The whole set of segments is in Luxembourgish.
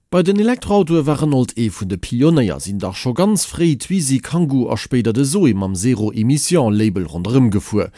Bei den Elektroautoe war Renault ee vun de Pionéier, sinn dach scho ganz fréi d'Twizy, Kangoo a spéider de Zoe mam Zero Emission Label ronderëm gefuer.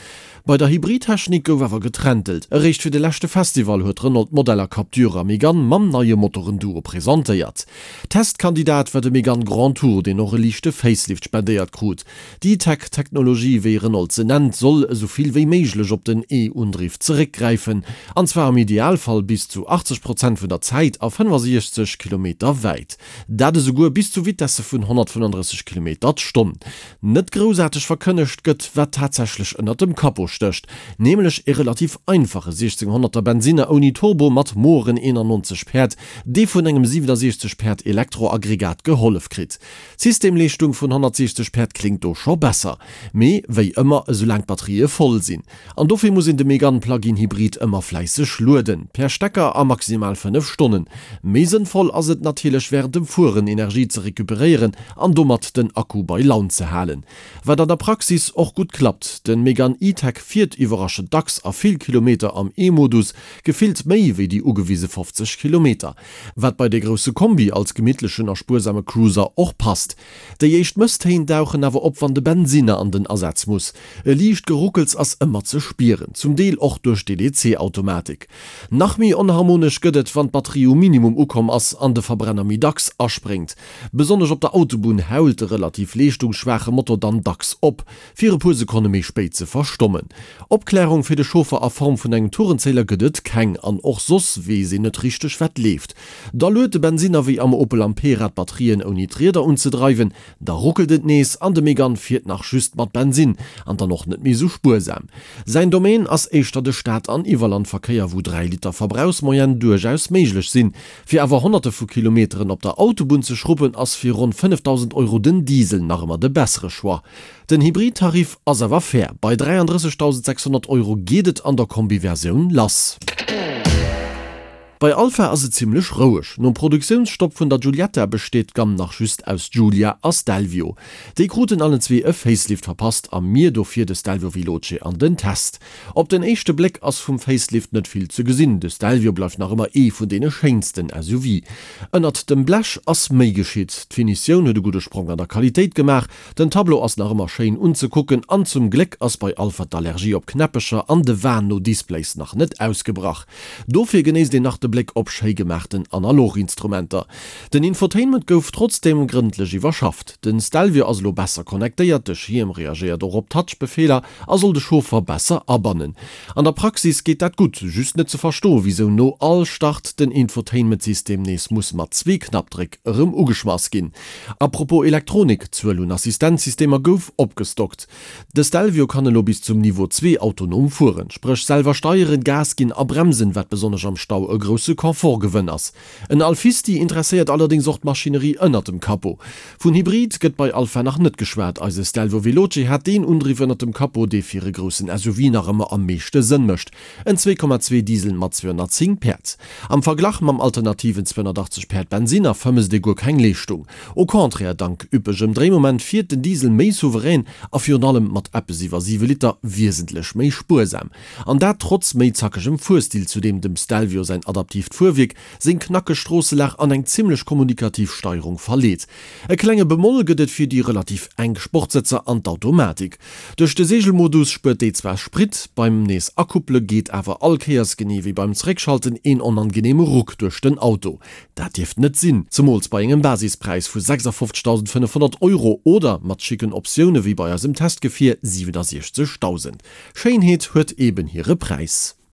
Bei der Hybridtechnik gouf awer geträntelt. Eréischt fir de leschte Festival huet Renault d'Modeller Captur a Mégane mam neie Motorenduo presentéiert. Testkandidat war de Mégane Grand Tour, deen och e liichte Facelift spendéiert krut. D'E-Tech-Technologie, wéi Renault se nennt, soll esou vill wéi méiglech op den E-Undriff zeréckgräifen, an zwar am Idealfall bis zu 80 Prozent vun der Zäit a 65 Kilometer wäit. Dat esouguer bis zu Vitesse vun 135 Kilometer d'Stonn. Net groussaarteg verkënnegt gëtt, wat tatsächlech ënnert dem Capot stécht, nämlech e relativ einfache 1600er Bensinner ouni Turbo mat moeren 91 Päerd, dee vun engem 67 Päerd Elektroaggregat gehollef kritt. D'Systemleeschtung vun 160 Päerd kléngt do scho besser, mee wéi ëmmer, esoulaang d'Batterië voll sinn. An dofir muss een de Megane Plug-in Hybrid ëmmer fläisseg lueden, per Stecker a maximal 5 Stonnen. Méi sënnvoll ass et natierlech wärend dem Fueren Energie ze recuperéieren an domat den Akku bei Laun ze halen. Wat an der Praxis och gutt klappt, den Megane E-Tech fiert iwwerraschend dacks a vill Kilometer am E-Modus, gefillt méi wéi déi ugewise 50 Kilometer. Wat bei dee grousse Kombi als gemittlechen a spuersame Cruiser och passt. Déi éischt Mësstéin dauchen awer op wann de Bensinner an den Asaz muss. E liicht Geruckels ass ëmmer ze spieren, zum Deel och duerch d'EDC-Automatik. Nach méi onharmonesch gëtt et wann d'Batterie um Minimum ukomm ass an de Verbrenner méi dacks aspréngt. Besonnesch op der Autobunn hault de relativ leeschtungsschwaache Motor dann dacks op, fir e puer Sekonne méi spéit ze verstommen. Opklärung fir de Chauffer a Form vun engem Tourenzähler gëtt et keng an och soss weess een net richteg wat leeft. Da luet de Bensinner wéi am Opel Ampera d'Batterien ouni d'Rieder unzedreiwen, da ruckelt et nees an de Megane fiert nach just mat Bensinn an dann och net méi sou spuersam. Säin Domaine ass éischter de Stad an Iwwerlandverkéier wou 3 Liter Verbrauchsmoyenne duerchaus méiglech sinn. Fir awer honnerte vu Kilometeren op der Autobunn ze schruppen ass fir ronn 5.000 Euro den Diesel nach ëmmer de bessere Choix. Den Hybrid-Tarif ass awer fair, bei 33.600 Euro geet et an der Kombi-Versioun lass. Bei Alfa ass et zimmlech roueg. Nom Produktiounsstopp vun der Giulietta besteet d'Gamm nach just aus Giulia a Stelvio. Déi kruten allen zwee e Facelift verpasst a mir dofir de Stelvio Veloce an den Test. Op den éischte Bléck ass vum Facelift net vill ze gesinn, de Stelvio bleift nach ëmmer ee vun deene schéinsten SUV. Ënnert dem Blech ass méi geschitt, d'Finitioun huet e gudde Sprong an der Qualitéit gemaach, Den Tableau ass nach ëmmer schéin unzekucken an zum Gléck ass bei Alpha d'Allergie op Knäppecher an de Wahn no Displays nach net ausgebrach. Dofir genéisst een nach de Bléck op schéi gemaachten Analoginstrumenter. Den Infotainment gouf trotzdeem grëndlech iwwerschafft. Den Stelvio ass elo besser connectéiert, de Schierm reagéiert och op Touch-Befeeler a soll de Chauffer besser abannen. An der Praxis geet dat gutt, just net ze verstoen, wisou no all Start den Infotainment-System nees muss mat zwee Knappdréck erëm ugeschmass ginn. A propos Elektronik, d'Zuel un Assistenzsystemer gouf opgestockt. De Stelvio kann elo bis zum Niveau 2 autonom fueren, spréch selwer steieren, Gas ginn a bremsen, wat besonnesch am Stau e grousse Confort-Gewënn ass. En Alfisti interesséiert allerdéngs och d'Maschinerie ënnert dem Capot. Vun Hybrid gëtt bei Alfa nach net geschwat, eise Stelvio Veloce hat deen Undriff ënnert dem Capot, dee fir e groussen SUV nach ëmmer am meeschte Sënn mécht, En 2,2 Diesel mat 210 Päerd. Am Verglach mam alternativen 280 Päerd Bensinner vermësst ee guer keng Leeschtung. Au contraire, dank üppegem Dréimoment fiert den Diesel méi souverän a virun allem mat eppes iwwer 7 Liter wiesentlech méi spuersam. An dat trotz méi zackegem Fuerstil, zu deem dem Stelvio säin adaptiivt Fuerwierk, seng knackeg Stroosselag an eng zimmlech kommunikativ Steierung verleet. E klenge Bemoll gëtt et fir déi relativ enk Sportsëtzer an d'Automatik. Duerch de Seegelmodus spuert déi zwar Sprit, beim nees akuppele geet awer all Kéiers, genee wéi beim Zeréckschalten, een onangeneeme Ruck duerch den Auto. Dat dierft net sinn, zemools bei engem Basispräis vu 56.500 Euro oder mat schicken Optioune wéi bei eisem Testgefier 67.000. Schéinheet huet eben hire Präis.